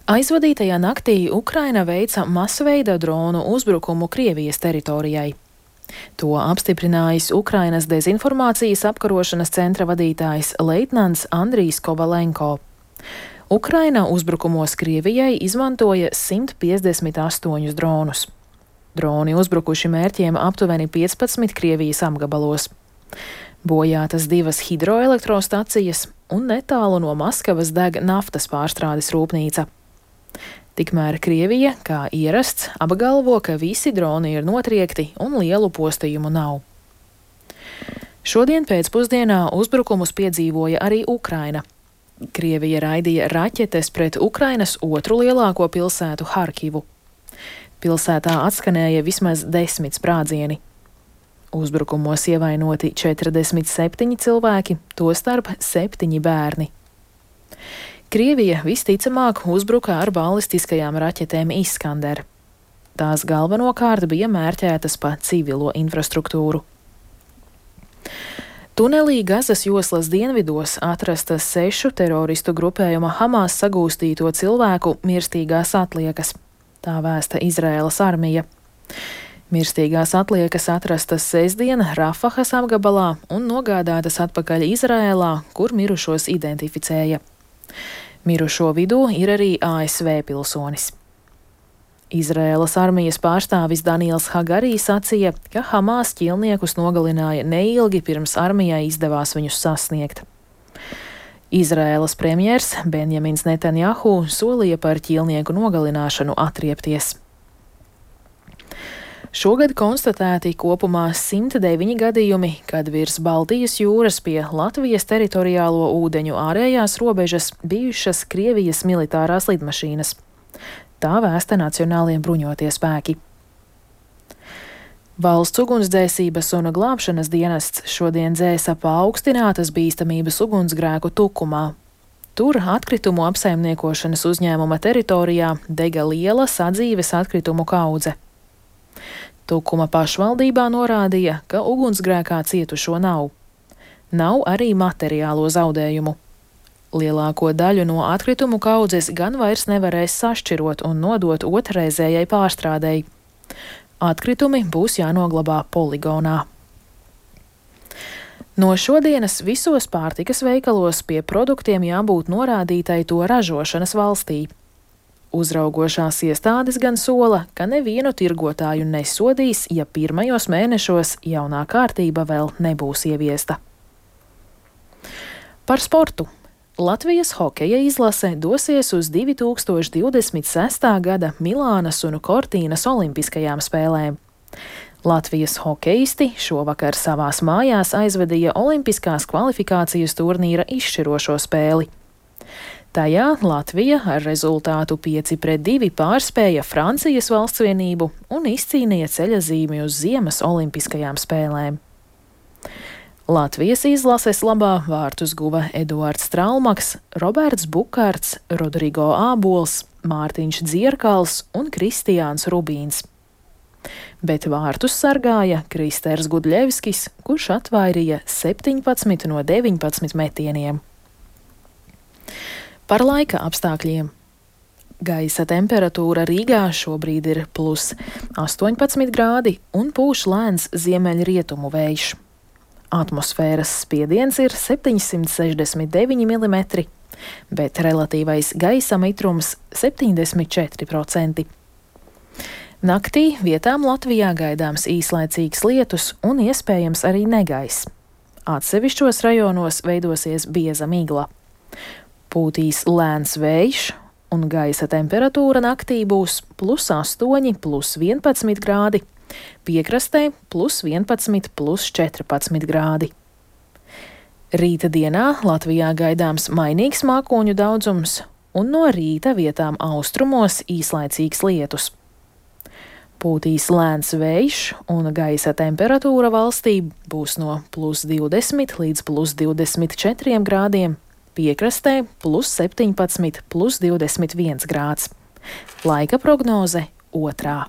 Aizvadītajā naktī Ukraina veica masveida dronu uzbrukumu Krievijas teritorijai. To apstiprinājis Ukrainas dezinformācijas apkarošanas centra vadītājs leitnants Andrijs Kovalenko. Ukraina uzbrukumos Krievijai izmantoja 158 dronus. Droni uzbrukuši mērķiem aptuveni 15 Krievijas apgabalos. Bojātas 2 hidroelektrostacijas un netālu no Maskavas deg naftas pārstrādes rūpnīca. Tikmēr Krievija, kā ierasts, apgalvo, ka visi droni ir notriekti un lielu postījumu nav. Šodien pēcpusdienā uzbrukumus piedzīvoja arī Ukraina. Krievija raidīja raķetes pret Ukrainas otru lielāko pilsētu Harkivu. Pilsētā atskanēja vismaz 10 sprādzieni. Uzbrukumos ievainoti 47 cilvēki, tostarp 7 bērni. Krievija visticamāk uzbruka ar balistiskajām raķetēm Iskander. Tās galvenokārt bija mērķētas pa civilo infrastruktūru. Tunelī Gazas joslas dienvidos atrastas 6 teroristu grupējuma Hamas sagūstīto cilvēku mirstīgās atliekas. Tā vēsta Izraēlas armija. Mirstīgās atliekas atrastas sestdien Rafahas apgabalā un nogādātas atpakaļ Izraēlā, kur mirušos identificēja. Mirušo vidū ir arī ASV pilsonis. Izraēlas armijas pārstāvis Daniels Hagarī sacīja, ka Hamas ķīlniekus nogalināja neilgi pirms armijai izdevās viņus sasniegt. Izraēlas premjers Benjamins Netanjahu solīja par ķīlnieku nogalināšanu atriepties. Šogad konstatēti kopumā 109 gadījumi, kad virs Baltijas jūras pie Latvijas teritoriālo ūdeņu ārējās robežas bijušas Krievijas militārās lidmašīnas. Tā vēsta Nacionālie bruņotie spēki. Valsts ugunsdzēsības un glābšanas dienests šodien dzēsa paaugstinātas bīstamības ugunsgrēku Tukumā. Tur atkritumu apsaimniekošanas uzņēmuma teritorijā dega liela sadzīves atkritumu kaudze. Tukuma pašvaldībā norādīja, ka ugunsgrēkā cietušo nav. Nav arī materiālo zaudējumu. Lielāko daļu no atkritumu kaudzes gan vairs nevarēs sašķirot un nodot otrreizējai pārstrādei. Atkritumi būs jānoglabā poligonā. No šodienas visos pārtikas veikalos pie produktiem jābūt norādītai to ražošanas valstī. Uzraugošās iestādes gan sola, ka nevienu tirgotāju nesodīs, ja pirmajos mēnešos jaunā kārtība vēl nebūs ieviesta. Par sportu. Latvijas hokeja izlase dosies uz 2026. gada Milānas un Cortīnas olimpiskajām spēlēm. Latvijas hokeisti šovakar savās mājās aizvadīja olimpiskās kvalifikācijas turnīra izšķirošo spēli. Tajā Latvija ar rezultātu 5-2 pārspēja Francijas valstsvienību un izcīnīja ceļazīmi uz Ziemas olimpiskajām spēlēm. Latvijas izlases labā vārtus guva Eduards Strālmaks, Roberts Bukārts, Rodrigo Ābols, Mārtiņš Dzierkals un Kristiāns Rubīns. Bet vārtus sargāja Kristers Gudļevskis, kurš atvairīja 17 no 19 metieniem. Par laika apstākļiem. Gaisa temperatūra Rīgā šobrīd ir +18 grādi un pūš lēns ziemeļrietumu vējš. Atmosfēras spiediens ir 769 mm, bet relatīvais gaisa mitrums 74%. Naktī vietām Latvijā gaidāms īslaicīgs lietus un iespējams arī negaiss. Atsevišķos rajonos veidosies bieza migla. Pūtīs lēns vējš un gaisa temperatūra naktī būs +8, +11 grādi, piekrastē +11, +14 grādi. Rīta dienā Latvijā gaidāms mainīgs mākoņu daudzums un no rīta vietām austrumos īslaicīgs lietus. Pūtīs lēns vējš un gaisa temperatūra valstī būs no +20 līdz +24 grādiem, piekrastē +17, +21 grāds. Laika prognoze 2.